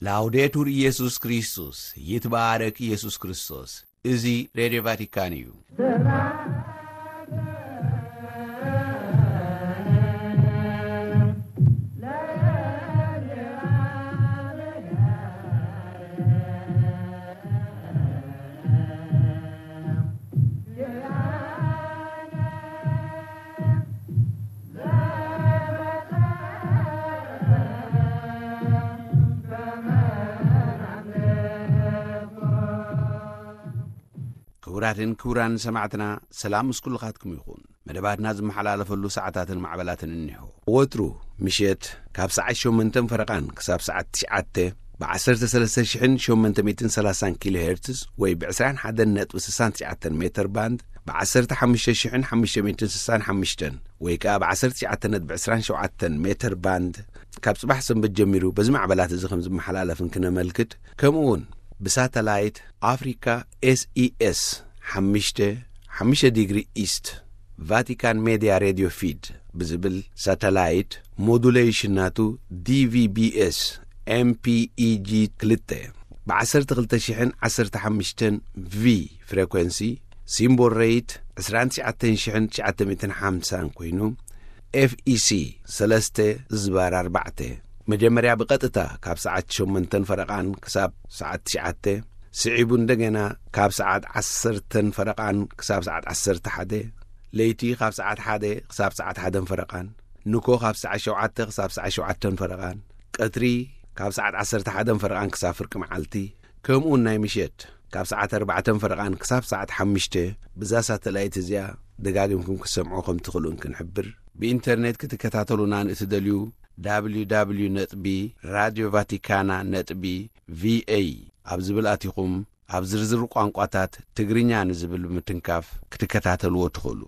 ላውዴቱር ኢየሱስ ክርስቶስ፣ ይትባረክ ኢየሱስ ክርስቶስ። እዚ ሬድዮ ቫቲካን እዩ። ክቡራትን ክቡራን ሰማዕትና፣ ሰላም ምስ ኩልኻትኩም ይኹን። መደባትና ዝመሓላለፈሉ ሰዓታትን ማዕበላትን እኒሆ። ወትሩ ምሸት ካብ ሰዓት ሸሞንተን ፈረቓን ክሳብ ሰዓት ትሽዓተ ብ ዓሰርተ ሰለስተ ሽሕን ሸሞንተ ሚእትን ሰላሳን ኪሎ ሄርትዝ ወይ ብ ዕስራን ሓደን ነጥቢ ስሳን ትሽዓተን ሜተር ባንድ፣ ብ ዓሰርተ ሓሙሽተ ሽሕን ሓሙሽተ ሚእትን ስሳን ሓሙሽተን ወይ ከኣ ብ ዓሰርተ ትሽዓተ ነጥቢ ዕስራን ሸውዓተን ሜተር ባንድ፣ ካብ ጽባሕ ሰንበት ጀሚሩ በዚ ማዕበላት እዚ ከም ዝመሓላለፍ እንክነመልክት፣ ከምኡ እውን ብሳተላይት ኣፍሪካ ኤስኢኤስ ሓሙሽተ፣ ሓሙሽተ ዲግሪ ኢስት፣ ቫቲካን ሜድያ ሬድዮ ፊድ ብዝብል ሳተላይት፣ ሞዱሌሽን ናቱ ዲቪቢኤስ ኤምፒኢጂ ክልተ፣ ብ ዓሰርተ ክልተ ሽሕን ዓሰርተ ሓሙሽተን ቪ ፍሬኮንሲ፣ ሲምቦል ሬይት ዕስራን ትሽዓተን ሽሕን ትሽዓተ ሚእትን ሓምሳን ኮይኑ፣ ኤፍኢሲ ሰለስተ ዝባር ኣርባዕተ፣ መጀመርያ ብቐጥታ ካብ ሰዓት ሸሞንተን ፈረቓን ክሳብ ሰዓት ትሽዓተ፣ ስዒቡ እንደገና ካብ ሰዓት ዓሰርተን ፈረቓን ክሳብ ሰዓት ዓሰርተ ሓደ፣ ለይቲ ካብ ሰዓት ሓደ ክሳብ ሰዓት ሓደን ፈረቓን፣ ንኮ ካብ ሰዓት ሸውዓተ ክሳብ ሰዓት ሸውዓተን ፈረቓን፣ ቀትሪ ካብ ሰዓት ዓሰርተ ሓደን ፈረቓን ክሳብ ፍርቂ መዓልቲ፣ ከምኡውን ናይ ምሸት ካብ ሰዓት ኣርባዕተን ፈረቓን ክሳብ ሰዓት ሓሙሽተ፣ ብዛ ሳተላይት እዚኣ ደጋጊምኩም ክትሰምዑ ከም ትኽእሉ እንክንሕብር፣ ብኢንተርኔት ክትከታተሉና ንእትደልዩ፣ www ነጥቢ ራድዮ ቫቲካና ነጥቢ ቪኤ ኣብ ዝብል ኣቲኹም፣ ኣብ ዝርዝር ቋንቋታት ትግርኛ ንዝብል ብምትንካፍ ክትከታተልዎ ትኽእሉ።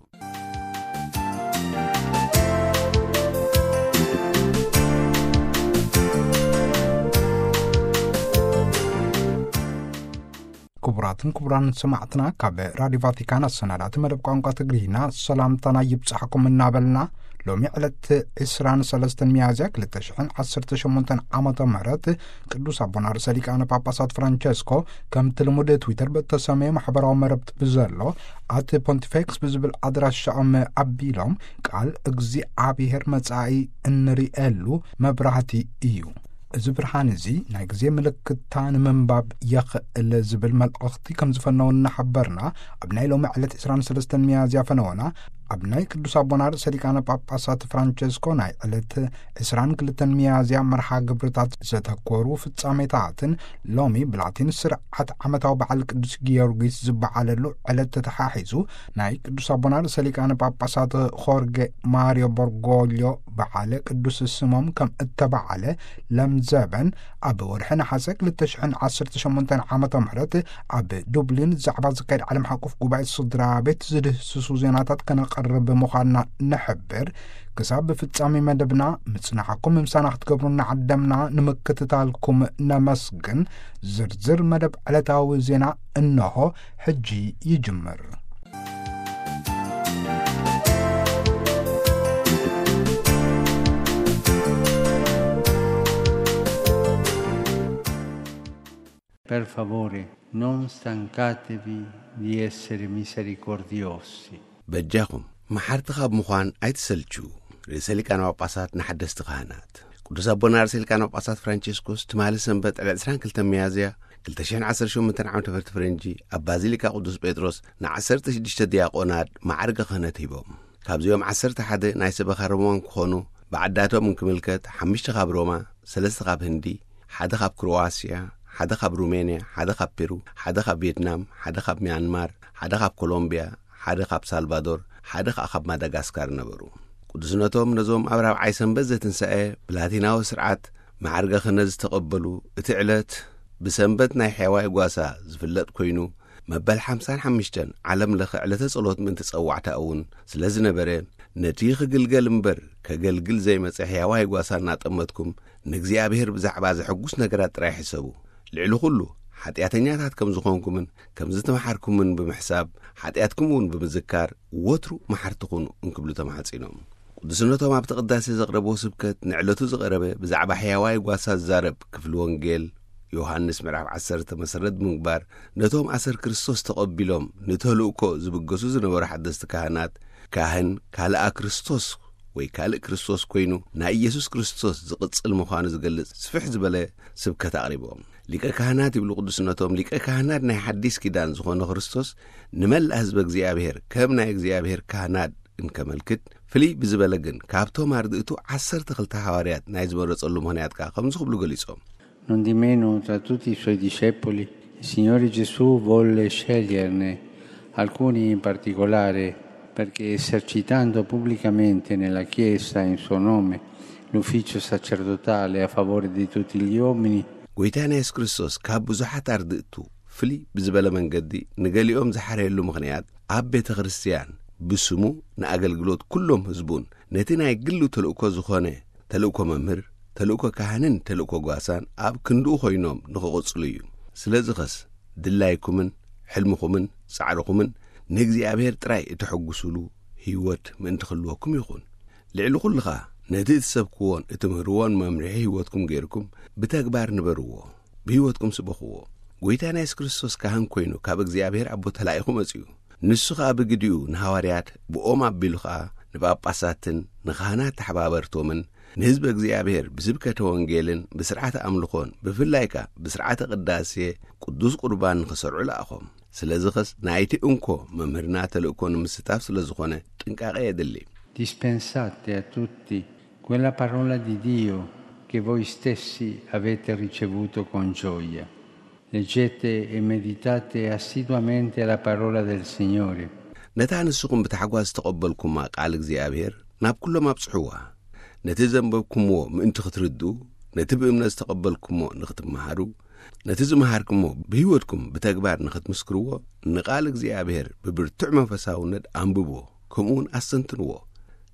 ክቡራትን ክቡራን ሰማዕትና፣ ካብ ራዲዮ ቫቲካን ኣሰናዳእቲ መደብ ቋንቋ ትግርኛ ሰላምታና ይብጻሕኩም እናበልና፣ ሎሚ ዕለት ዕስራን ሰለስተን ሚያዝያ ክልተ ሽሕን ዓሰርተ ሸሞንተን ዓመተ ምህረት ቅዱስ ኣቦና ርእሰ ሊቃነ ጳጳሳት ፍራንቸስኮ ከምቲ ልሙድ ትዊተር ብእተሰመየ ማሕበራዊ መረብቲ ብዘሎ ኣት ፖንቲፌክስ ብዝብል ኣድራሻኦም ኣቢሎም ቃል እግዚኣብሔር መጻኢ እንርእየሉ መብራህቲ እዩ። እዚ ብርሃን እዚ ናይ ግዜ ምልክታ ንምንባብ የኽእል ዝብል መልእኽቲ ከም ዝፈነው እናሓበርና፣ ኣብ ናይ ሎሚ ዕለት ዕስራን ሰለስተን ሚያዝያ ፈነወና ኣብ ናይ ቅዱስ ኣቦና ርእሰ ሊቃነ ጳጳሳት ፍራንቸስኮ ናይ ዕለት ዕስራን ክልተን ሚያዝያ መርሃ ግብርታት ዘተኮሩ ፍጻሜታትን ሎሚ ብላቲን ስርዓት ዓመታዊ በዓል ቅዱስ ጊዮርጊስ ዝበዓለሉ ዕለት ተተሓሒዙ ናይ ቅዱስ ኣቦና ርእሰ ሊቃነ ጳጳሳት ሆርጌ ማሪዮ ቦርጎልዮ በዓለ ቅዱስ ስሞም ከም እተበዓለ ለምዘበን ኣብ ወርሒ ነሓሰ ክልተ ሽሕን ዓሰርተ ሸሞንተን ዓመተ ምህረት ኣብ ዱብሊን ዛዕባ ዝካየድ ዓለም ሓቁፍ ጉባኤ ስድራ ቤት ዝድህስሱ ዜናታት ከነቐርብ ምዃንና ንሕብር። ክሳብ ፍጻሜ መደብና ምጽናሕኩም ምሳና ክትገብሩ እናዓደምና ንምክትታልኩም ነመስግን። ዝርዝር መደብ ዕለታዊ ዜና እነሆ ሕጂ ይጅምር። Per favore, non stancatevi di essere misericordiosi. በጃኹም መሓርቲ ካብ ምዃን ኣይትሰልችዉ። ርእሰ ሊቃነ ጳጳሳት ንሓደስቲ ካህናት። ቅዱስ ኣቦና ርእሰ ሊቃነ ጳጳሳት ፍራንቸስኮስ ትማሊ ሰንበት ዕለት ዕስራን ክልተን ሚያዝያ ክልተ ሽሕን ዓሰርተ ሸሞንተን ዓመተ ምህረት ፈረንጂ ኣብ ባዚሊካ ቅዱስ ጴጥሮስ ንዓሰርተ ሽዱሽተ ዲያቆናት ማዕርገ ክህነት ሂቦም። ካብዚኦም ዓሰርተ ሓደ ናይ ሰበኻ ሮማ ክኾኑ፣ ብዓዳቶም እንክምልከት ሓሙሽተ ካብ ሮማ፣ ሰለስተ ካብ ህንዲ፣ ሓደ ካብ ክሮዋስያ፣ ሓደ ካብ ሩሜንያ፣ ሓደ ካብ ፔሩ፣ ሓደ ካብ ቪየትናም፣ ሓደ ካብ ሚያንማር፣ ሓደ ካብ ኮሎምብያ፣ ሓደ ካብ ሳልቫዶር፣ ሓደ ከኣ ካብ ማዳጋስካር ነበሩ። ቅዱስነቶም ነዞም ኣብ ራብዓይ ሰንበት ዘትንሳኤ ብላቲናዊ ስርዓት ማዕርገ ክህነት ዝተቐበሉ፣ እቲ ዕለት ብሰንበት ናይ ሕያዋይ ጓሳ ዝፍለጥ ኮይኑ፣ መበል ሓምሳን ሓሙሽተን ዓለም ለኸ ዕለተ ጸሎት ምእንቲ ጸዋዕታ እውን ስለ ዝነበረ፣ ነቲ ክግልገል እምበር ከገልግል ዘይመጸ ሕያዋይ ጓሳ እናጠመትኩም፣ ንእግዚኣብሔር ብዛዕባ ዘሐጉስ ነገራት ጥራይ ሕሰቡ። ልዕሊ ኹሉ፣ ሓጢኣተኛታት ከም ዝኾንኩምን ከም ዝተመሓርኩምን ብምሕሳብ፣ ሓጢኣትኩም እውን ብምዝካር፣ ወትሩ መሓርቲ ኩኑ እንክብሉ ተማሕጺኖም። ቅዱስነቶም ኣብቲ ቅዳሴ ዘቕረብዎ ስብከት፣ ንዕለቱ ዝቐረበ ብዛዕባ ሕያዋይ ጓሳ ዝዛረብ ክፍሊ ወንጌል፣ ዮሃንስ ምዕራፍ ዓሰርተ መሰረት ብምግባር፣ ነቶም ኣሰር ክርስቶስ ተቐቢሎም ንተልእኮ ዝብገሱ ዝነበሩ ሓደስቲ ካህናት፣ ካህን ካልኣ ክርስቶስ ወይ ካልእ ክርስቶስ ኮይኑ ናይ ኢየሱስ ክርስቶስ ዝቕጽል ምዃኑ ዝገልጽ ስፍሕ ዝበለ ስብከት ኣቕሪቦም። ሊቀ ካህናት ይብሉ ቅዱስነቶም፣ ሊቀ ካህናት ናይ ሓዲስ ኪዳን ዝኾነ ክርስቶስ ንመላእ ህዝበ እግዚኣብሔር ከም ናይ እግዚኣብሔር ካህናት እንከመልክት፣ ፍልይ ብዝበለ ግን ካብቶም ኣርድእቱ ዓሰርተ ክልተ ሃዋርያት ናይ ዝመረጸሉ ምኽንያት ከኣ ከምዚ ክብሉ ገሊጾም። Non di meno, tra tutti i suoi discepoli, il Signore Gesù volle sceglierne alcuni in particolare, perché esercitando pubblicamente nella Chiesa in suo nome l'ufficio sacerdotale a favore di tutti gli uomini, ጎይታና የሱስ ክርስቶስ ካብ ብዙሓት ኣርድእቱ ፍልይ ብዝበለ መንገዲ ንገሊኦም ዝሓረየሉ ምኽንያት፣ ኣብ ቤተ ክርስቲያን ብስሙ ንኣገልግሎት ኩሎም ህዝቡን ነቲ ናይ ግሉ ተልእኮ ዝኾነ ተልእኮ መምህር፣ ተልእኮ ካህንን ተልእኮ ጓሳን ኣብ ክንድኡ ኮይኖም ንኽቕጽሉ እዩ። ስለዚ ኸስ ድላይኩምን ሕልምኹምን ጻዕርኹምን ንእግዚኣብሔር ጥራይ እተሐጉሱሉ ህይወት ምእንቲ ክህልወኩም ይኹን። ልዕሊ ኩሉ ኸኣ ነቲ እትሰብክዎን እትምህርዎን መምርሒ ህይወትኩም ገይርኩም ብተግባር ንበርዎ፣ ብህይወትኩም ስበኽዎ። ጎይታና የሱስ ክርስቶስ ካህን ኮይኑ ካብ እግዚኣብሔር ኣቦ ተላኢኹ መጺኡ። ንሱ ኸኣ ብግዲኡ ንሃዋርያት፣ ብኦም ኣቢሉ ኸኣ ንጳጳሳትን ንኻህናት ተሓባበርቶምን ንህዝቢ እግዚኣብሔር ብስብከተ ወንጌልን ብስርዓተ ኣምልኾን ብፍላይ ከኣ ብስርዓተ ቅዳሴ ቅዱስ ቁርባን ንኽሰርዑ ለኣኾም። ስለዚ ኸስ ናይቲ እንኮ መምህርና ተልእኮ ንምስታፍ ስለ ዝኾነ ጥንቃቐ የድሊ። Dispensate a tutti quella parola di Dio che voi stessi avete ricevuto con gioia. Leggete e meditate assiduamente la parola del Signore. ነታ ንስኹም ብታሕጓስ ዝተቐበልኩማ ቃል እግዚኣብሔር ናብ ኩሎም ኣብጽሕዋ። ነቲ ዘንበብኩምዎ ምእንቲ ክትርድኡ፣ ነቲ ብእምነት ዝተቐበልኩሞ ንኽትመሃሩ፣ ነቲ ዝመሃርኩሞ ብህይወትኩም ብተግባር ንኽትምስክርዎ፣ ንቃል እግዚኣብሔር ብብርቱዕ መንፈሳውነት ኣንብብዎ፣ ከምኡ እውን ኣስተንትንዎ።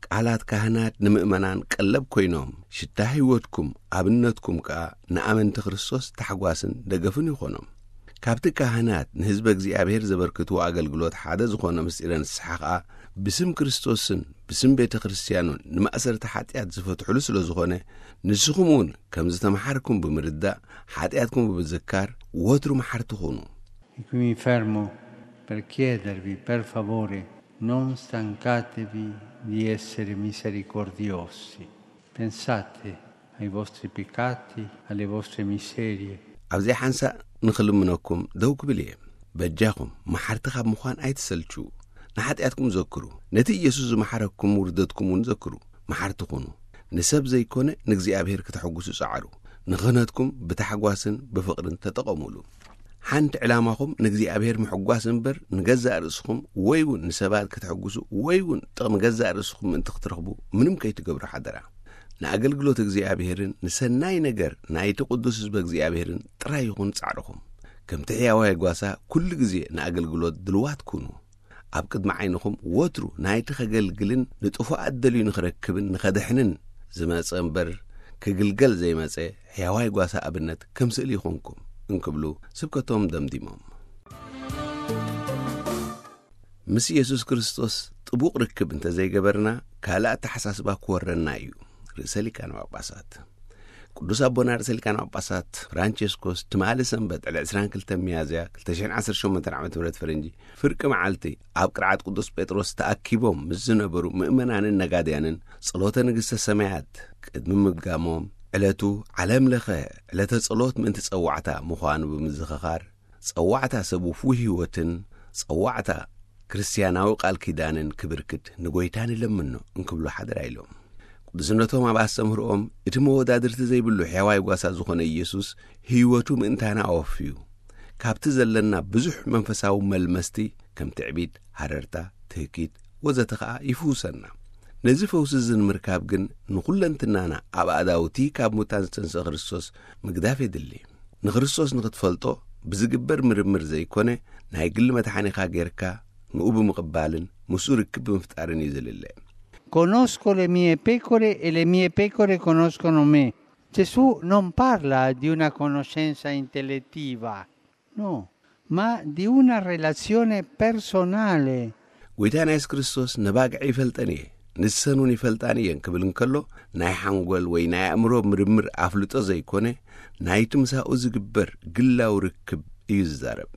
ቃላት ካህናት ንምእመናን ቀለብ ኮይኖም፣ ሽታ ህይወትኩም ኣብነትኩም ከኣ ንኣመንቲ ክርስቶስ ታሕጓስን ደገፍን ይኾኖም። ካብቲ ካህናት ንህዝበ እግዚኣብሔር ዘበርክትዎ ኣገልግሎት ሓደ ዝኾነ ምስጢረ ንስሓ ከኣ ብስም ክርስቶስን ብስም ቤተ ክርስቲያኑን ንማእሰርቲ ሓጢኣት ዝፈትሕሉ ስለ ዝኾነ፣ ንስኹም እውን ከም ዝተምሓርኩም ብምርዳእ ሓጢኣትኩም ብምዝካር ወትሩ መሓርቲ ኩኑ። E qui mi fermo per chiedervi, per favore, non stancatevi di essere misericordiosi. Pensate ai vostri peccati, alle vostre miserie. ኣብዚኣ ሓንሳእ ንኽልምነኩም ደው ክብል እየ። በጃኹም መሓርቲ ካብ ምዃን ኣይትሰልችዉ። ንሓጢኣትኩም ዘክሩ። ነቲ ኢየሱስ ዝመሓረኩም ውርደትኩም እውን ዘክሩ። መሓርቲ ኩኑ። ንሰብ ዘይኮነ ንእግዚኣብሔር ክተሐጉሱ ጸዓሩ። ንኽህነትኩም ብታሕጓስን ብፍቕርን ተጠቐሙሉ። ሓንቲ ዕላማኹም ንእግዚኣብሔር ምሕጓስ እምበር ንገዛእ ርእስኹም ወይ እውን ንሰባት ከተሐጉሱ ወይ እውን ጥቕሚ ገዛእ ርእስኹም ምእንቲ ክትረኽቡ ምንም ከይትገብሩ ሓደራ። ንኣገልግሎት እግዚኣብሔርን ንሰናይ ነገር ናይቲ ቅዱስ ህዝበ እግዚኣብሔርን ጥራይ ይኹን ጻዕርኹም። ከምቲ ሕያዋይ ጓሳ ኩሉ ግዜ ንኣገልግሎት ድልዋት ኩኑ። ኣብ ቅድሚ ዓይንኹም ወትሩ ናይቲ ከገልግልን ንጥፉኣት ደልዩ ንኽረክብን ንኸድሕንን ዝመጸ እምበር ክግልገል ዘይመጸ ሕያዋይ ጓሳ ኣብነት ከም ስእሊ ይኹንኩም እንክብሉ ስብከቶም ደምዲሞም። ምስ ኢየሱስ ክርስቶስ ጥቡቕ ርክብ እንተዘይገበርና ካልእ ኣተሓሳስባ ክወረና እዩ። ርእሰ ሊቃነ ጳጳሳት ቅዱስ ኣቦና ርእሰ ሊቃነ ጳጳሳት ፍራንቸስኮስ ትማሊ ሰንበት ዕለት ዕስራን ክልተን ሚያዝያ ክልተ ሽሕን ዓሰርተ ሸሞንተን ዓመተ ምህረት ፈረንጂ ፍርቂ መዓልቲ ኣብ ቅርዓት ቅዱስ ጴጥሮስ ተኣኪቦም ምስ ዝነበሩ ምእመናንን ነጋድያንን ጸሎተ ንግሥተ ሰማያት ቅድሚ ምድጋሞም፣ ዕለቱ ዓለም ለኸ ዕለተ ጸሎት ምእንቲ ጸዋዕታ ምዃኑ ብምዝኽኻር፣ ጸዋዕታ ሰብ ውፉይ ህይወትን ጸዋዕታ ክርስትያናዊ ቃል ኪዳንን ክብርክት ንጎይታ ንለምኖ እንክብሉ ሓደራ ኢሎም። ቅዱስነቶም ኣብ ኣስተምህሮኦም፣ እቲ መወዳድርቲ ዘይብሉ ሕያዋይ ጓሳ ዝኾነ ኢየሱስ ህይወቱ ምእንታና ኣወፍዩ። ካብቲ ዘለና ብዙሕ መንፈሳዊ መልመስቲ ከም ትዕቢት፣ ሃረርታ፣ ትህኪት ወዘተ ኸኣ ይፍውሰና። ነዚ ፈውሲ እዚ ንምርካብ ግን ንኹለንትናና ኣብ ኣእዳውቲ ካብ ሙታን ዝተንስአ ክርስቶስ ምግዳፍ የድሊ። ንክርስቶስ ንኽትፈልጦ ብዝግበር ምርምር ዘይኮነ፣ ናይ ግሊ መድሓኒኻ ጌርካ ንኡ ብምቕባልን ምስኡ ርክብ ብምፍጣርን እዩ ዝልለ። Conosco le mie pecore e le mie pecore conoscono me. Gesù non parla di una conoscenza intellettiva, no, ma di una relazione personale. ጎይታና የሱስ ክርስቶስ ነባግዕ ይፈልጠን እየ፣ ንሰን እውን ይፈልጣን እየን ክብል እንከሎ፣ ናይ ሓንጎል ወይ ናይ ኣእምሮ ምርምር ኣፍልጦ ዘይኮነ፣ ናይቲ ምሳኡ ዝግበር ግላዊ ርክብ እዩ ዝዛረብ።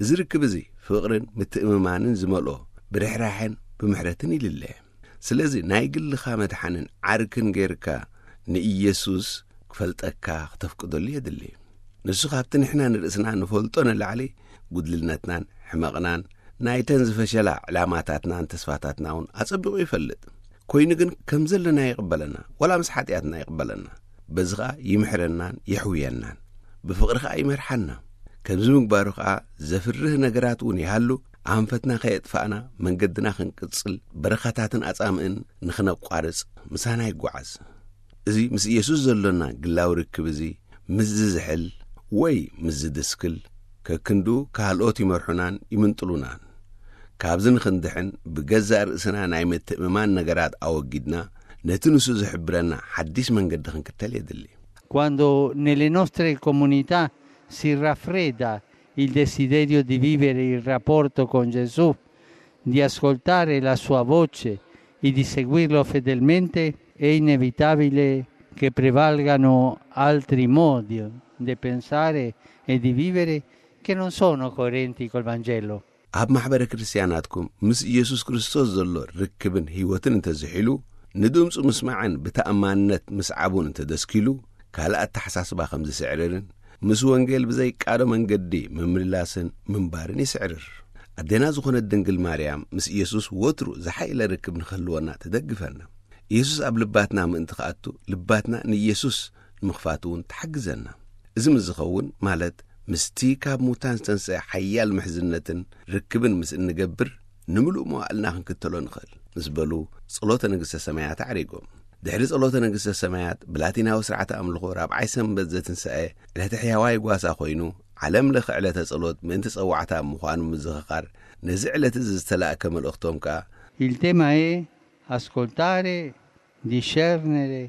እዚ ርክብ እዚ ፍቕርን ምትእምማንን ዝመልኦ፣ ብርሕራሐን ብምሕረትን ይልለ። ስለዚ ናይ ግልኻ መድሓንን ዓርክን ጌርካ ንኢየሱስ ክፈልጠካ ክተፍቅደሉ የድሊ። ንሱ ካብቲ ንሕና ንርእስና ንፈልጦ ንላዕሊ፣ ጉድልነትናን ሕመቕናን፣ ናይተን ዝፈሸላ ዕላማታትናን ተስፋታትና እውን ኣጸቢቑ ይፈልጥ። ኮይኑ ግን ከም ዘለና ይቕበለና፣ ዋላ ምስ ሓጢኣትና ይቕበለና። በዚ ኸኣ ይምሕረናን የሕውየናን። ብፍቕሪ ኸኣ ይመርሓና። ከምዚ ምግባሩ ኸኣ ዘፍርህ ነገራት እውን ይሃሉ፣ ኣንፈትና ከየጥፋእና መንገድና ክንቅጽል፣ በረኻታትን ኣጻምእን ንኽነቋርጽ ምሳና ይጓዓዝ። እዚ ምስ ኢየሱስ ዘሎና ግላዊ ርክብ እዚ ምስ ዝዝሕል ወይ ምስ ዝድስክል፣ ከክንድኡ ካልኦት ይመርሑናን ይምንጥሉናን። ካብዚ ንኽንድሕን ብገዛእ ርእስና ናይ ምትእምማን ነገራት ኣወጊድና፣ ነቲ ንሱ ዝሕብረና ሓዲስ መንገዲ ክንክተል የድሊ። Quando nelle nostre comunità si raffredda il desiderio di vivere il rapporto con Gesù, di ascoltare la sua voce e di seguirlo fedelmente, è inevitabile che prevalgano altri modi di pensare e di vivere che non sono coerenti col Vangelo. ኣብ ማሕበረ ክርስትያናትኩም ምስ ኢየሱስ ክርስቶስ ዘሎ ርክብን ህይወትን እንተዝሒሉ፣ ንድምፁ ምስማዕን ብተኣማንነት ምስዓቡን እንተደስኪሉ፣ ካልእ ኣተሓሳስባ ከም ዝስዕርርን ምስ ወንጌል ብዘይቃዶ መንገዲ ምምልላስን ምንባርን ይስዕርር። ኣዴና ዝኾነት ድንግል ማርያም ምስ ኢየሱስ ወትሩ ዝሓይለ ርክብ ንኽህልወና ትደግፈና። ኢየሱስ ኣብ ልባትና ምእንቲ ክኣቱ፣ ልባትና ንኢየሱስ ንምኽፋት እውን ትሓግዘና። እዚ ምስ ዝኸውን፣ ማለት ምስቲ ካብ ሙታን ዝተንስአ ሓያል ምሕዝነትን ርክብን ምስ እንገብር፣ ንምሉእ መዋእልና ክንክተሎ ንኽእል ምስ በሉ፣ ጸሎተ ንግሥተ ሰማያት ኣዕሪጎም። ድሕሪ ጸሎተ ንግሥተ ሰማያት፣ ብላቲናዊ ስርዓተ ኣምልኾ ራብዓይ ሰንበት ዘትንሳኤ ዕለተ ሕያዋይ ጓሳ ኮይኑ፣ ዓለም ለኸ ዕለተ ጸሎት ምእንቲ ጸዋዕታ ምዃኑ ብምዝኽኻር፣ ነዚ ዕለት እዚ ዝተላእከ መልእኽቶም ከኣ፣ Il tema è ascoltare, discernere,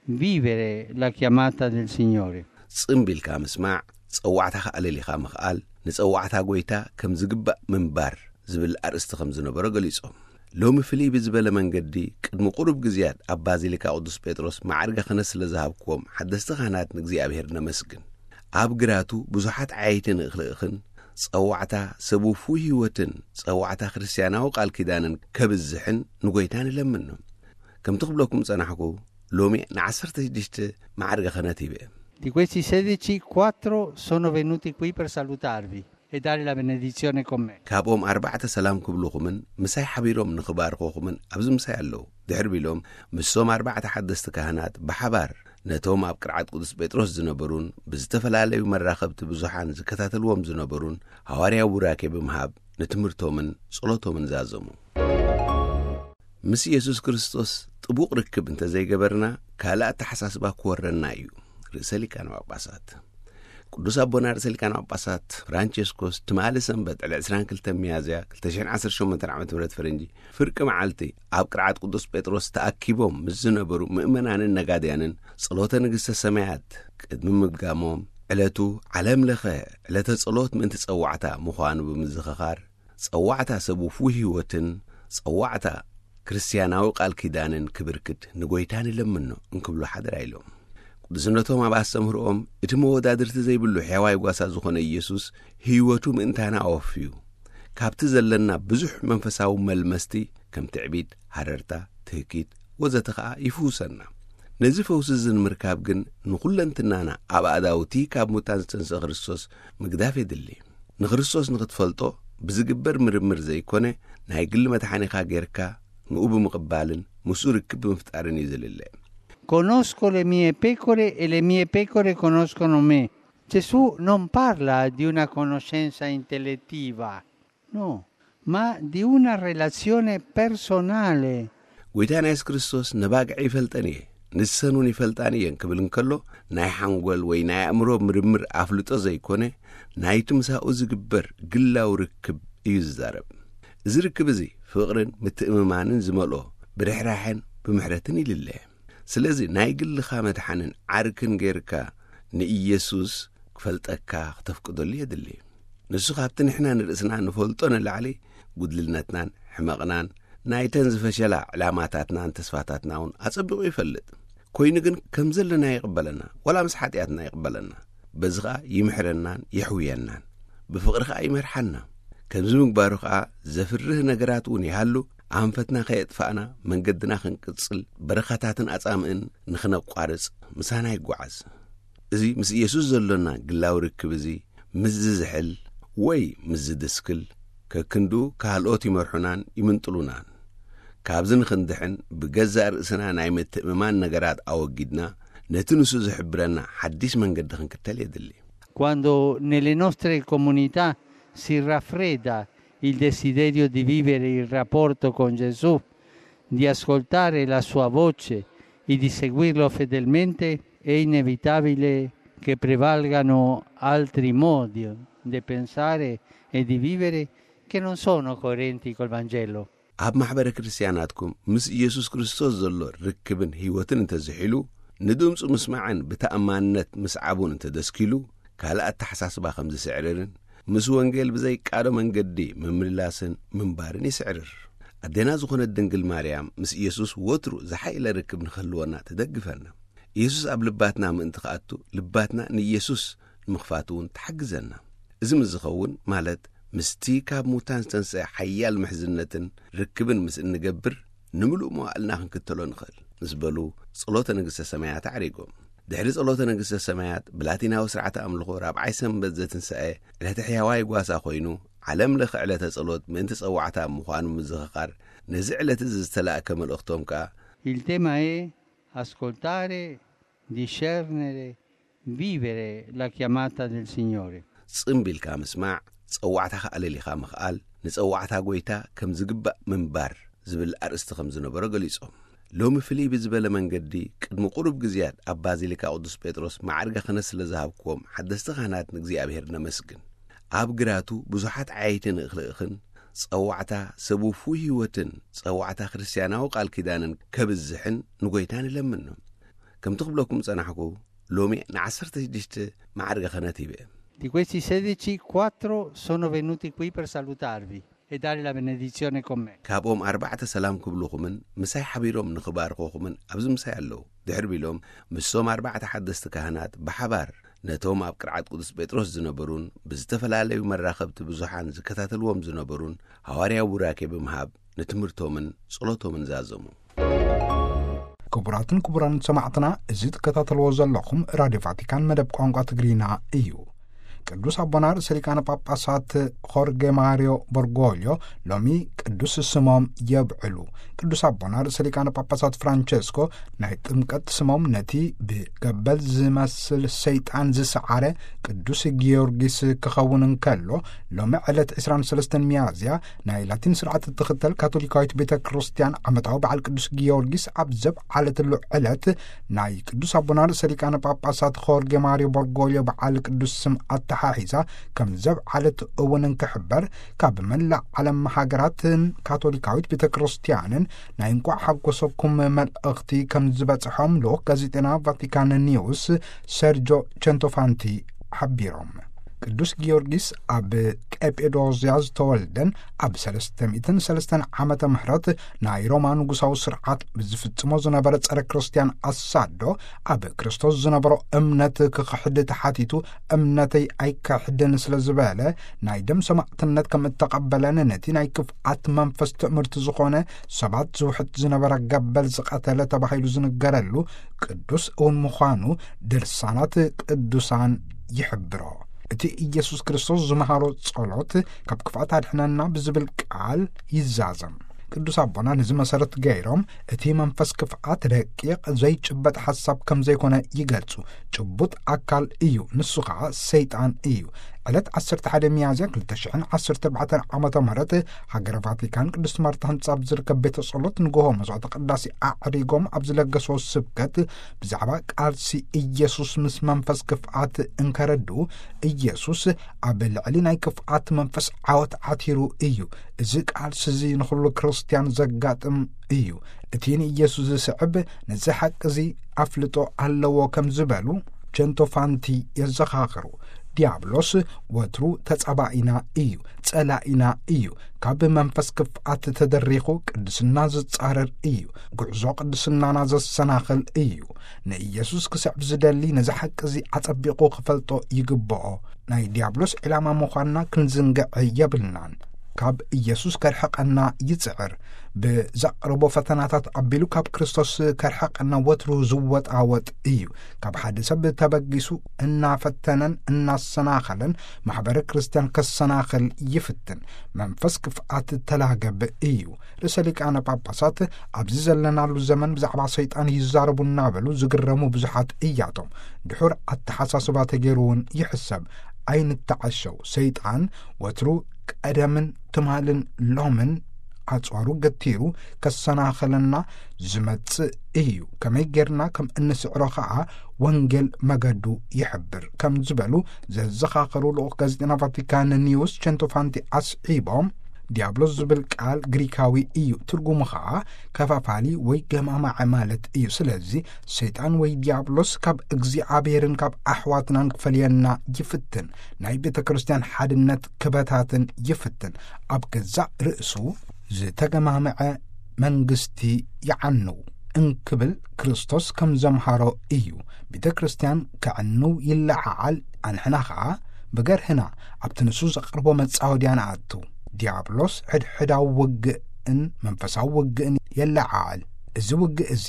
vivere la chiamata del Signore. ጽምቢልካ ምስማዕ፣ ጸዋዕታኻ ኣለሊኻ ምኽኣል፣ ንጸዋዕታ ጐይታ ከም ዝግባእ ምንባር ዝብል ኣርእስቲ ከም ዝነበሮ ገሊጾም። ሎሚ ፍልይ ብዝበለ መንገዲ፣ ቅድሚ ቁሩብ ግዜያት ኣብ ባዚሊካ ቅዱስ ጴጥሮስ ማዕርገ ክህነት ስለ ዝሃብክዎም ሓደስቲ ካህናት ንእግዚኣብሔር ነመስግን። ኣብ ግራቱ ብዙሓት ዓየይቲ ንእኽልእኽን፣ ጸዋዕታ ሰብ ውፉይ ህይወትን ጸዋዕታ ክርስትያናዊ ቃል ኪዳንን ከብዝሕን ንጐይታ ንለምኖ። ከምቲ ክብለኩም ጸናሕኩ፣ ሎሚ ንዓሰርተ ሽዱሽተ ማዕርገ ክህነት ሂበ። Di questi sedeci, quattro sono venuti qui per salutarvi e dare la benedizione con me. ካብኦም ኣርባዕተ ሰላም ክብልኹምን ምሳይ ሓቢሮም ንኽባርኹኹምን ኣብዚ ምሳይ ኣለዉ። ድሕሪ ቢሎም፣ ምስቶም ኣርባዕተ ሓደስቲ ካህናት ብሓባር ነቶም ኣብ ቅርዓት ቅዱስ ጴጥሮስ ዝነበሩን ብዝተፈላለዩ መራኸብቲ ብዙሓን ዝከታተልዎም ዝነበሩን ሃዋርያዊ ቡራኬ ብምሃብ ንትምህርቶምን ጸሎቶምን ዛዘሙ። ምስ ኢየሱስ ክርስቶስ ጥቡቕ ርክብ እንተዘይገበርና፣ ካልእ ኣተሓሳስባ ክወረና እዩ። ርእሰ ሊቃነ ጳጳሳት ቅዱስ ኣቦና ርእሰ ሊቃነ ጳጳሳት ፍራንቸስኮስ ትማሊ ሰንበት ዕለት ዕስራን ክልተን ሚያዝያ ክልተ ሽሕን ዓሰርተ ሸሞንተን ዓመተ ምህረት ፈረንጂ ፍርቂ መዓልቲ ኣብ ቅርዓት ቅዱስ ጴጥሮስ ተኣኪቦም ምስ ዝነበሩ ምእመናንን ነጋድያንን ጸሎተ ንግሥተ ሰማያት ቅድሚ ምድጋሞም፣ ዕለቱ ዓለም ለኸ ዕለተ ጸሎት ምእንቲ ጸዋዕታ ምዃኑ ብምዝኽኻር፣ ጸዋዕታ ሰብ ውፉይ ህይወትን ጸዋዕታ ክርስትያናዊ ቃል ኪዳንን ክብርክት ንጎይታ ንለምኖ እንክብሉ ሓደራ ኢሎም። ቅዱስነቶም ኣብ ኣስተምህርኦም፣ እቲ መወዳድርቲ ዘይብሉ ሕያዋይ ጓሳ ዝኾነ ኢየሱስ ህይወቱ ምእንታና ኣወፍዩ፣ ካብቲ ዘለና ብዙሕ መንፈሳዊ መልመስቲ ከም ትዕቢት፣ ሃረርታ፣ ትህኪት ወዘተ ኸኣ ይፍውሰና። ነዚ ፈውሲ እዚ ንምርካብ ግን ንኹለንትናና ኣብ ኣእዳውቲ ካብ ሙታን ዝተንስአ ክርስቶስ ምግዳፍ የድሊ። ንክርስቶስ ንኽትፈልጦ ብዝግበር ምርምር ዘይኮነ፣ ናይ ግሊ መድሓኒኻ ጌርካ ንኡ ብምቕባልን ምስኡ ርክብ ብምፍጣርን እዩ ዝልለ። Conosco le mie pecore e le mie pecore conoscono me. Gesù non parla di una conoscenza intellettiva, no, ma di una relazione personale. ጎይታና የሱስ ክርስቶስ፣ ነባግዒ ይፈልጠን እየ፣ ንሰን እውን ይፈልጣን እየን ክብል እንከሎ፣ ናይ ሓንጎል ወይ ናይ ኣእምሮ ምርምር ኣፍልጦ ዘይኮነ፣ ናይቲ ምሳኡ ዝግበር ግላዊ ርክብ እዩ ዝዛረብ። እዚ ርክብ እዚ ፍቕርን ምትእምማንን ዝመልኦ፣ ብርሕራሐን ብምሕረትን ይልለ። ስለዚ ናይ ግልኻ መድሓንን ዓርክን ጌርካ ንኢየሱስ ክፈልጠካ ክተፍቅደሉ የድሊ። ንሱ ካብቲ ንሕና ንርእስና ንፈልጦ ንላዕሊ፣ ጉድልነትናን ሕመቕናን፣ ናይተን ዝፈሸላ ዕላማታትናን ተስፋታትና እውን ኣጸቢቑ ይፈልጥ። ኮይኑ ግን ከም ዘለና ይቕበለና፣ ዋላ ምስ ሓጢኣትና ይቕበለና። በዚ ኸኣ ይምሕረናን የሕውየናን። ብፍቕሪ ኸኣ ይመርሓና። ከምዚ ምግባሩ ኸኣ ዘፍርህ ነገራት እውን ይሃሉ፣ ኣንፈትና ከየጥፋእና መንገድና ክንቅጽል፣ በረኻታትን ኣጻምእን ንኽነቋርጽ ምሳና ይጓዓዝ። እዚ ምስ ኢየሱስ ዘሎና ግላዊ ርክብ እዚ ምስ ዝዝሕል ወይ ምስ ዝድስክል፣ ከክንድኡ ካልኦት ይመርሑናን ይምንጥሉናን። ካብዚ ንኽንድሕን ብገዛእ ርእስና ናይ ምትእምማን ነገራት ኣወጊድና፣ ነቲ ንሱ ዝሕብረና ሓድሽ መንገዲ ክንክተል የድሊ። Quando nelle nostre comunità si raffredda il desiderio di vivere il rapporto con Gesù, di ascoltare la sua voce e di seguirlo fedelmente, è inevitabile che prevalgano altri modi di pensare e di vivere che non sono coerenti col Vangelo. ኣብ ማሕበረ ክርስትያናትኩም ምስ ኢየሱስ ክርስቶስ ዘሎ ርክብን ህይወትን እንተዝሒሉ፣ ንድምፁ ምስማዕን ብተኣማንነት ምስዓቡን እንተደስኪሉ፣ ካልእ ኣተሓሳስባ ከም ዝስዕርርን ምስ ወንጌል ብዘይቃዶ መንገዲ ምምልላስን ምንባርን ይስዕርር። ኣዴና ዝኾነት ድንግል ማርያም ምስ ኢየሱስ ወትሩ ዝሓየለ ርክብ ንኽህልወና ትደግፈና። ኢየሱስ ኣብ ልባትና ምእንቲ ክኣቱ፣ ልባትና ንኢየሱስ ንምኽፋት እውን ትሓግዘና። እዚ ምስ ዝኸውን፣ ማለት ምስቲ ካብ ሙታን ዝተንስአ ሓያል ምሕዝነትን ርክብን ምስ እንገብር፣ ንምሉእ መዋእልና ክንክተሎ ንኽእል ምስ በሉ፣ ጸሎተ ንግሥተ ሰማያት ኣዕሪጎም። ድሕሪ ጸሎተ ንግሥተ ሰማያት፣ ብላቲናዊ ስርዓተ ኣምልኾ ራብዓይ ሰንበት ዘትንሳኤ፣ ዕለተ ሕያዋይ ጓሳ ኮይኑ፣ ዓለም ለኸ ዕለተ ጸሎት ምእንቲ ጸዋዕታ ምዃኑ ምዝኽኻር፣ ነዚ ዕለት እዚ ዝተላእከ መልእኽቶም ከኣ፣ Il tema è ascoltare, discernere, vivere la chiamata del Signore. ጽምብ ኢልካ ምስማዕ፣ ጸዋዕታኻ ኣለሊኻ ምኽኣል፣ ንጸዋዕታ ጐይታ ከም ዝግባእ ምንባር ዝብል ኣርእስቲ ከም ዝነበሮ ገሊጾም። ሎሚ ፍልይ ብዝበለ መንገዲ፣ ቅድሚ ቁሩብ ግዜያት ኣብ ባዚሊካ ቅዱስ ጴጥሮስ ማዕርገ ክህነት ስለ ዝሃብክዎም ሓደስቲ ካህናት ንእግዚኣብሔር ነመስግን። ኣብ ግራቱ ብዙሓት ዓየይቲ ንኽልእኽን፣ ጸዋዕታ ሰብ ውፉይ ህይወትን ጸዋዕታ ክርስትያናዊ ቃል ኪዳንን ከብዝሕን ንጐይታ ንለምኖ። ከምቲ ክብለኩም ጸናሕኩ፣ ሎሚ ንዓሰርተ ሽዱሽተ ማዕርገ ክህነት ሂበ። Di questi sedici, quattro sono venuti qui per salutarvi e dare la benedizione con me. ካብኦም ኣርባዕተ ሰላም ክብልኹምን ምሳይ ሓቢሮም ንኽባርኹኹምን ኣብዚ ምሳይ ኣለዉ። ድሕር ቢሎም፣ ምስቶም ኣርባዕተ ሓደስቲ ካህናት ብሓባር ነቶም ኣብ ቅርዓት ቅዱስ ጴጥሮስ ዝነበሩን ብዝተፈላለዩ መራኸብቲ ብዙሓን ዝከታተልዎም ዝነበሩን ሃዋርያዊ ቡራኬ ብምሃብ ንትምህርቶምን ጸሎቶምን ዛዘሙ። ክቡራትን ክቡራን ሰማዕትና፣ እዚ ትከታተልዎ ዘለኹም ራድዮ ቫቲካን መደብ ቋንቋ ትግርኛ እዩ። ቅዱስ ኣቦና ርእሰ ሊቃነ ጳጳሳት ሆርጌ ማሪዮ በርጎልዮ ሎሚ ቅዱስ ስሞም የብዕሉ። ቅዱስ ኣቦና ርእሰ ሊቃነ ጳጳሳት ፍራንቸስኮ ናይ ጥምቀት ስሞም ነቲ ብገበል ዝመስል ሰይጣን ዝሰዓረ ቅዱስ ጊዮርጊስ ክኸውን እንከሎ፣ ሎሚ ዕለት ዕስራን ሰለስተን ሚያዝያ ናይ ላቲን ስርዓት እትኽተል ካቶሊካዊት ቤተ ክርስቲያን ዓመታዊ በዓል ቅዱስ ጊዮርጊስ ኣብ ዘብዓለትሉ ዕለት፣ ናይ ቅዱስ ኣቦና ርእሰ ሊቃነ ጳጳሳት ሆርጌ ማሪዮ በርጎልዮ በዓል ቅዱስ ስም ኣተሓሒዛ ከም ዘብዓለት እውን እንክሕበር፣ ካብ መላእ ዓለም ሃገራትን ካቶሊካዊት ቤተ ክርስቲያንን ናይ እንቋዕ ሓጎሰኩም መልእኽቲ ከም ዝበጽሖም ልኡኽ ጋዜጠና ቫቲካን ኒውስ ሰርጆ ቸንቶፋንቲ ሓቢሮም። ቅዱስ ጊዮርጊስ ኣብ ቀጴዶዝያ ዝተወልደን ኣብ ሰለስተ ሚእትን ሰለስተን ዓመተ ምህረት ናይ ሮማ ንጉሳዊ ስርዓት ብዝፍጽሞ ዝነበረ ጸረ ክርስትያን ኣሳዶ ኣብ ክርስቶስ ዝነበሮ እምነት ክኽሕድ ተሓቲቱ፣ እምነተይ ኣይከሕድን ስለ ዝበለ፣ ናይ ደም ሰማዕትነት ከም እተቐበለን ነቲ ናይ ክፍኣት መንፈስ ትእምርቲ ዝኾነ ሰባት ዝውሕጥ ዝነበረ ገበል ዝቐተለ ተባሂሉ ዝንገረሉ ቅዱስ እውን ምዃኑ ድርሳናት ቅዱሳን ይሕብሮ። እቲ ኢየሱስ ክርስቶስ ዝመሃሮ ጸሎት፣ "ካብ ክፍኣት ኣድሕነና" ብዝብል ቃል ይዛዘም። ቅዱስ ኣቦና ነዚ መሰረት ገይሮም፣ እቲ መንፈስ ክፍኣት ረቂቕ ዘይጭበጥ ሓሳብ ከም ዘይኮነ ይገልጹ። ጭቡጥ ኣካል እዩ፣ ንሱ ኸዓ ሰይጣን እዩ። ዕለት ዓሰርተ ሓደ ሚያዝያ ክልተ ሽሕን ዓሰርተ ኣርባዕተን ዓመተ ምህረት ሃገረ ቫቲካን ቅድስት ማርታ ህንጻ ኣብ ዝርከብ ቤተ ጸሎት ንግሆ መስዋዕተ ቅዳሴ ኣዕሪጎም ኣብ ዝለገስዎ ስብከት፣ ብዛዕባ ቃልሲ ኢየሱስ ምስ መንፈስ ክፍኣት እንከረድኡ፣ ኢየሱስ ኣብ ልዕሊ ናይ ክፍኣት መንፈስ ዓወት ዓቲሩ እዩ። እዚ ቃልሲ እዚ ንኹሉ ክርስትያን ዘጋጥም እዩ። እቲ ንኢየሱስ ዝስዕብ ነዚ ሓቂ እዚ ኣፍልጦ ኣለዎ ከም ዝበሉ ቸንቶፋንቲ የዘኻኽሩ። ዲያብሎስ ወትሩ ተጻባኢና እዩ፣ ጸላኢና እዩ። ካብ መንፈስ ክፍኣት ተደሪኹ ቅድስና ዝጻረር እዩ። ጉዕዞ ቅድስናና ዘሰናኽል እዩ። ንኢየሱስ ክስዕብ ዝደሊ ነዚ ሓቂ እዚ ኣጸቢቑ ክፈልጦ ይግብኦ። ናይ ዲያብሎስ ዕላማ ምዃንና ክንዝንግዕ የብልናን። ካብ ኢየሱስ ከርሕቐና ይጽዕር። ብዘቕርቦ ፈተናታት ኣቢሉ ካብ ክርስቶስ ከርሕቐና ወትሩ ዝወጣወጥ እዩ። ካብ ሓደ ሰብ ተበጊሱ እናፈተነን እናሰናኸለን ማሕበረ ክርስቲያን ከሰናኽል ይፍትን። መንፈስ ክፍኣት ተላገብ እዩ። ርእሰ ሊቃነ ጳጳሳት ኣብዚ ዘለናሉ ዘመን ብዛዕባ ሰይጣን ይዛረቡ እናበሉ ዝግረሙ ብዙሓት እያቶም። ድሑር ኣተሓሳስባ ተገይሩ እውን ይሕሰብ። ኣይንተዓሸው። ሰይጣን ወትሩ ቀደምን ትማልን ሎምን ኣጽዋሩ ገቲሩ ከሰናኸለና ዝመጽእ እዩ። ከመይ ጌርና ከም እንስዕሮ ኸኣ ወንጌል መገዱ ይሕብር ከም ዝበሉ ዘዘኻኸሩ ልኡኽ ጋዜጠና ቫቲካን ኒውስ ቸንቶፋንቲ ኣስዒቦም፣ ዲያብሎስ ዝብል ቃል ግሪካዊ እዩ። ትርጉሙ ኸኣ ከፋፋሊ ወይ ገማማዐ ማለት እዩ። ስለዚ ሰይጣን ወይ ዲያብሎስ ካብ እግዚኣብሔርን ካብ ኣሕዋትናን ክፈልየና ይፍትን። ናይ ቤተ ክርስቲያን ሓድነት ክበታትን ይፍትን። ኣብ ገዛእ ርእሱ ዝተገማመዐ መንግስቲ ይዓኑ እንክብል ክርስቶስ ከም ዘምሃሮ እዩ። ቤተ ክርስቲያን ከዕኑ ይለዓዓል፣ ኣንሕና ኸኣ ብገርህና ኣብቲ ንሱ ዘቕርቦ መጻወድያ ንኣቱ። ዲያብሎስ ሕድሕዳዊ ውግእን መንፈሳዊ ውግእን የለዓዕል። እዚ ውግእ እዚ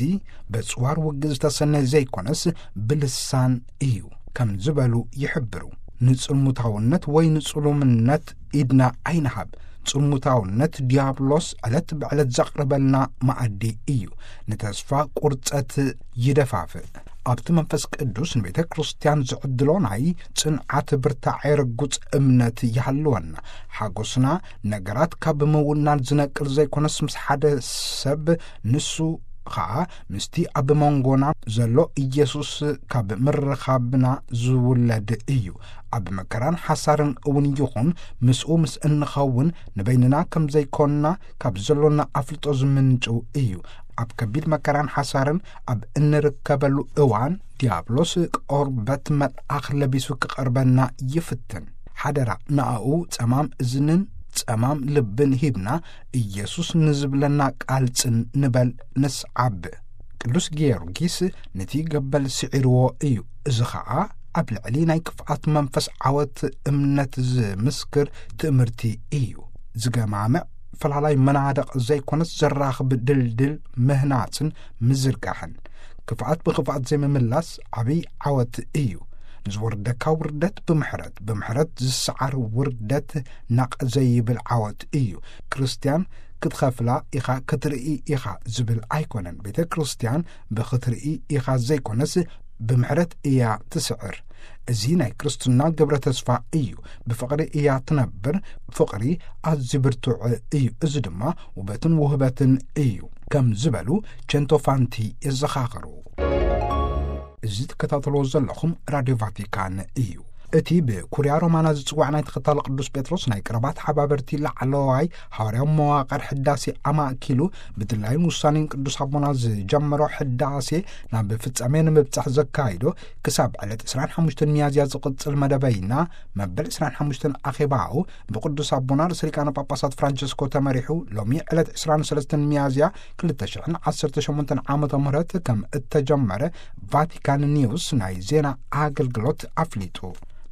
በጽዋር ውግእ ዝተሰነ ዘይኮነስ ብልሳን እዩ ከም ዝበሉ ይሕብሩ። ንጽልሙታውነት ወይ ንጽሉምነት ኢድና ኣይንሃብ። ጽልሙታውነት ዲያብሎስ ዕለት ብዕለት ዘቕርበልና መኣዲ እዩ። ንተስፋ ቁርጸት ይደፋፍእ። ኣብቲ መንፈስ ቅዱስ ንቤተ ክርስቲያን ዝዕድሎ ናይ ጽንዓት ብርታዐ ርጉጽ እምነት ይሃልወና። ሓጎስና ነገራት ካብ ምውናን ዝነቅል ዘይኮነስ ምስ ሓደ ሰብ ንሱ ኸኣ ምስቲ ኣብ መንጎና ዘሎ ኢየሱስ ካብ ምርኻብና ዝውለድ እዩ። ኣብ መከራን ሓሳርን እውን ይኹን ምስኡ ምስ እንኸውን ንበይንና ከም ዘይኮንና ካብ ዘሎና ኣፍልጦ ዝምንጩ እዩ። ኣብ ከቢድ መከራን ሓሳርን ኣብ እንርከበሉ እዋን ዲያብሎስ ቆርበት መልኣኽ ለቢሱ ክቐርበና ይፍትን። ሓደራ ንኣኡ ጸማም እዝንን ጸማም ልብን ሂብና ኢየሱስ ንዝብለና ቃል ጽን ንበል ንስዓብ። ቅዱስ ጊዮርጊስ ነቲ ገበል ስዒርዎ እዩ። እዚ ኸኣ ኣብ ልዕሊ ናይ ክፍኣት መንፈስ ዓወት እምነት ዝምስክር ትእምርቲ እዩ። ዝገማምዕ ፈላላይ መናድቕ ዘይኮነስ ዘራኽብ ድልድል ምህናጽን ምዝርጋሕን። ክፍኣት ብኽፍኣት ዘይምምላስ ዓብይ ዓወት እዩ። ንዝወርደካ ውርደት ብምሕረት፣ ብምሕረት ዝሰዓር ውርደት ናቕ ዘይብል ዓወት እዩ። ክርስትያን ክትኸፍላ ኢኻ፣ ክትርኢ ኢኻ ዝብል ኣይኮነን። ቤተ ክርስትያን ብኽትርኢ ኢኻ ዘይኮነስ ብምሕረት እያ ትስዕር። እዚ ናይ ክርስትና ግብረ ተስፋ እዩ። ብፍቕሪ እያ ትነብር። ፍቕሪ ኣዝዩ ብርቱዕ እዩ። እዚ ድማ ውበትን ውህበትን እዩ ከም ዝበሉ ቸንቶፋንቲ የዘኻኽሩ። እዚ ትከታተልዎ ዘለኹም ራድዮ ቫቲካን እዩ። እቲ ብኩርያ ሮማና ዝጽዋዕ ናይ ተኸታሊ ቅዱስ ጴጥሮስ ናይ ቀረባ ተሓባበርቲ ላዕለዋይ ሃዋርያዊ መዋቕር ሕዳሴ ኣማእኪሉ ብድላይን ውሳኔን ቅዱስ ኣቦና ዝጀመሮ ሕዳሴ ናብ ፍጻሜ ንምብጻሕ ዘካይዶ ክሳብ ዕለት ዕስራን ሓሙሽተን ሚያዝያ ዝቕጽል መደበይና መበል ዕስራን ሓሙሽተን ኣኼባኡ ብቅዱስ ኣቦና ርእሰ ሊቃነ ጳጳሳት ፍራንቸስኮ ተመሪሑ ሎሚ ዕለት ዕስራን ሰለስተን ሚያዝያ ክልተ ሽሕን ዓሰርተ ሸሞንተን ዓመተ ምህረት ከም እተጀመረ ቫቲካን ኒውስ ናይ ዜና ኣገልግሎት ኣፍሊጡ።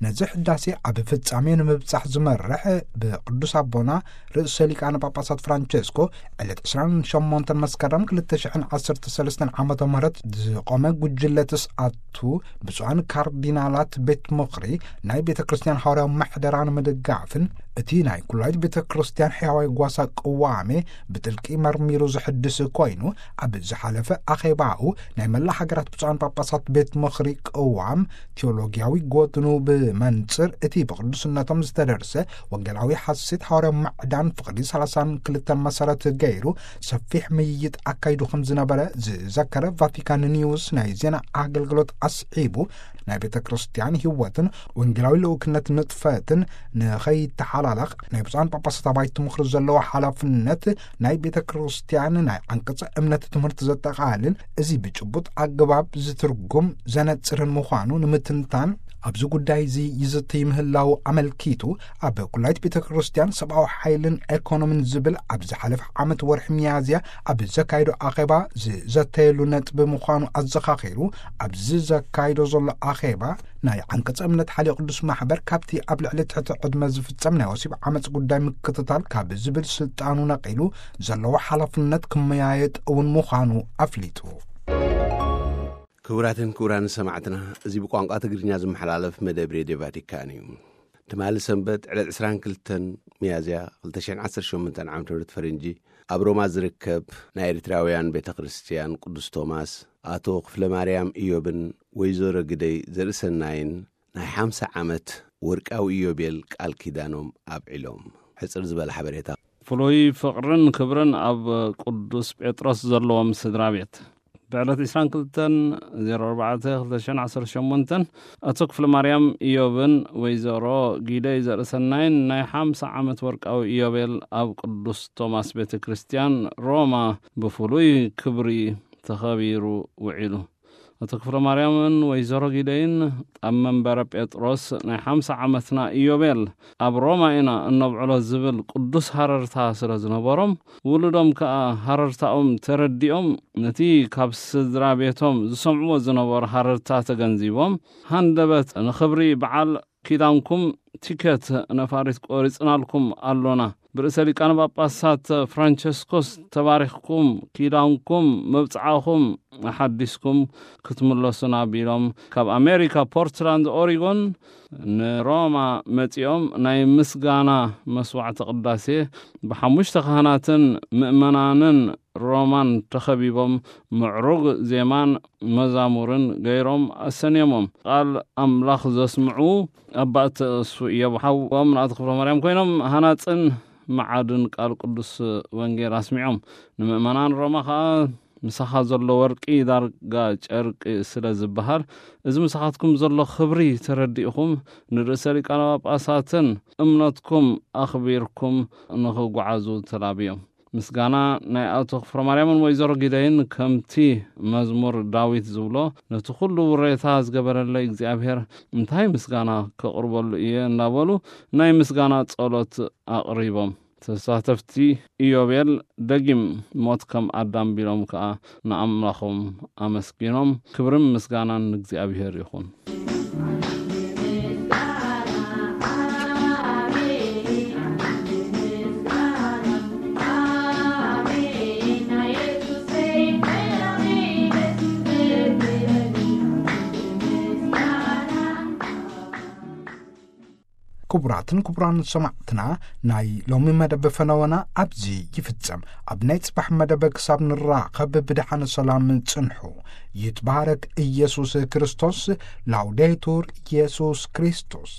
ነዚ ሕዳሴ ኣብ ፍጻሜ ንምብጻሕ ዝመርሕ ብቅዱስ ኣቦና ርእሰ ሊቃነ ጳጳሳት ፍራንቸስኮ ዕለት ዕስራን ሸሞንተን መስከረም ክልተ ሽሕን ዓሰርተ ሰለስተን ዓመተ ምህረት ዝቖመ ጉጅለ ተስኣቱ ብፁዓን ካርዲናላት ቤት ምኽሪ ናይ ቤተ ክርስቲያን ሃዋርያዊ ምሕደራ ንምድጋፍን እቲ ናይ ኩላይት ቤተ ክርስቲያን ሕያዋይ ጓሳ ቅዋሜ ብጥልቂ መርሚሩ ዝሕድስ ኮይኑ፣ ኣብ ዝሓለፈ ኣኼባኡ ናይ መላ ሃገራት ብፁዓን ጳጳሳት ቤት ምኽሪ ቅዋም ቴዎሎጊያዊ ጎድኑ ብ መንጽር እቲ ብቅዱስነቶም ዝተደርሰ ወንጌላዊ ሓሴት ሓዋርያዊ ምዕዳን ፍቕዲ ሰላሳን ክልተን መሰረት ገይሩ ሰፊሕ ምይይጥ ኣካይዱ ከም ዝነበረ ዝዘከረ ቫቲካን ኒውስ ናይ ዜና ኣገልግሎት ኣስዒቡ፣ ናይ ቤተ ክርስቲያን ህይወትን ወንጌላዊ ልኡክነት ንጥፈትን ንኸይተሓላለኽ ናይ ብፁዓን ጳጳሳት ኣባይቲ ምኽሪ ዘለዎ ሓላፍነት ናይ ቤተ ክርስቲያን ናይ ዓንቀጸ እምነት ትምህርቲ ዘጠቓልል፣ እዚ ብጭቡጥ ኣገባብ ዝትርጉም ዘነጽርን ምዃኑ ንምትንታን፣ ኣብዚ ጉዳይ እዚ ይዝትይ ምህላው ኣመልኪቱ፣ ኣብ ኩላይት ቤተ ክርስቲያን ሰብኣዊ ሓይልን ኤኮኖሚን ዝብል ኣብ ዝሓለፈ ዓመት ወርሒ ሚያዝያ ኣብ ዘካየዶ ኣኼባ ዝዘተየሉ ነጥቢ ምዃኑ ኣዘኻኺሩ፣ ኣብዚ ዘካይዶ ዘሎ ኣኼባ ናይ ዓንቀጸ እምነት ሓልዮ ቅዱስ ማሕበር ካብቲ ኣብ ልዕሊ ትሕቲ ዕድመ ዝፍጸም ናይ ወሲብ ዓመጽ ጉዳይ ምክትታል ካብ ዝብል ስልጣኑ ነቒሉ ዘለዎ ሓላፍነት ክመያየጥ እውን ምዃኑ ኣፍሊጡ። ክቡራትን ክቡራን ሰማዕትና፣ እዚ ብቋንቋ ትግርኛ ዝመሓላለፍ መደብ ሬድዮ ቫቲካን እዩ። ትማሊ ሰንበት ዕለት ዕስራን ክልተን ሚያዝያ ክልተ ሽሕን ዓሰርተ ሸሞንተን ዓመተ ምህረት ፈረንጂ ኣብ ሮማ ዝርከብ ናይ ኤርትራውያን ቤተ ክርስቲያን ቅዱስ ቶማስ ኣቶ ክፍለ ማርያም ኢዮብን ወይዘሮ ግደይ ዘርእሰናይን ናይ ሓምሳ ዓመት ወርቃዊ ኢዮቤል ቃል ኪዳኖም ኣብዒሎም። ሕጽር ዝበለ ሓበሬታ። ፍሉይ ፍቕርን ክብርን ኣብ ቅዱስ ጴጥሮስ ዘለዎም ስድራ ቤት። ብዕለት ዕስራን ክልተን ዜሮ ኣርባዕተ ክልተ ሽሕን ዓሰርተ ሸሞንተን ኣቶ ክፍለ ማርያም ኢዮብን ወይዘሮ ጊደይ ዘርእሰናይን ናይ ሓምሳ ዓመት ወርቃዊ ኢዮቤል ኣብ ቅዱስ ቶማስ ቤተ ክርስቲያን ሮማ ብፍሉይ ክብሪ ተኸቢሩ ውዒሉ። ኣቶ ክፍለ ማርያምን ወይዘሮ ጊደይን ኣብ መንበረ ጴጥሮስ ናይ ሓምሳ ዓመትና ኢዮቤል ኣብ ሮማ ኢና እነብዕሎ ዝብል ቅዱስ ሃረርታ ስለ ዝነበሮም፣ ውሉዶም ከኣ ሃረርታኦም ተረዲኦም፣ ነቲ ካብ ስድራ ቤቶም ዝሰምዕዎ ዝነበሩ ሃረርታ ተገንዚቦም፣ ሃንደበት ንኽብሪ በዓል ኪዳንኩም ቲኬት ነፋሪት ቆሪጽናልኩም ኣሎና። ብርእሰ ሊቃነ ጳጳሳት ፍራንቸስኮስ ተባሪኽኩም፣ ኪዳንኩም፣ መብጽዓኹም ኣሓዲስኩም ክትምለሱና ቢሎም፣ ካብ ኣሜሪካ ፖርትላንድ ኦሪጎን ንሮማ መጺኦም ናይ ምስጋና መስዋዕተ ቅዳሴ ብሓሙሽተ ካህናትን ምእመናንን ሮማን ተኸቢቦም ምዕሩግ ዜማን መዛሙርን ገይሮም ኣሰንዮሞም። ቃል ኣምላኽ ዘስምዑ ኣባ እተእሱ እዮም። ሓዎም ንኣቶ ክፍለ ማርያም ኮይኖም ሃናጽን መዓድን ቃል ቅዱስ ወንጌል ኣስሚዖም። ንምእመናን ሮማ ኸኣ ምሳኻ ዘሎ ወርቂ ዳርጋ ጨርቂ ስለ ዝበሃል፣ እዚ ምሳኻትኩም ዘሎ ክብሪ ተረዲእኹም ንርእሰ ሊቃነ ጳጳሳትን እምነትኩም ኣኽቢርኩም ንኽጓዓዙ ተላብዮም። ምስጋና ናይ ኣቶ ክፍለ ማርያምን ወይዘሮ ጊደይን ከምቲ መዝሙር ዳዊት ዝብሎ፣ ነቲ ኩሉ ውሬታ ዝገበረለይ እግዚኣብሔር እንታይ ምስጋና ከቕርበሉ እየ እናበሉ ናይ ምስጋና ጸሎት ኣቕሪቦም። ተሳተፍቲ ኢዮቤል ደጊም ሞት ከም ኣዳም ቢሎም ከኣ ንኣምላኾም ኣመስጊኖም። ክብርን ምስጋናን ንእግዚኣብሔር ይኹን። ክቡራትን ክቡራን ሰማዕትና፣ ናይ ሎሚ መደብ ፈነወና ኣብዚ ይፍጸም። ኣብ ናይ ጽባሕ መደብ ክሳብ ንራኸብ ብደሓን ሰላም ጽንሑ። ይትባረክ ኢየሱስ ክርስቶስ። ላውዴቱር ኢየሱስ ክርስቶስ።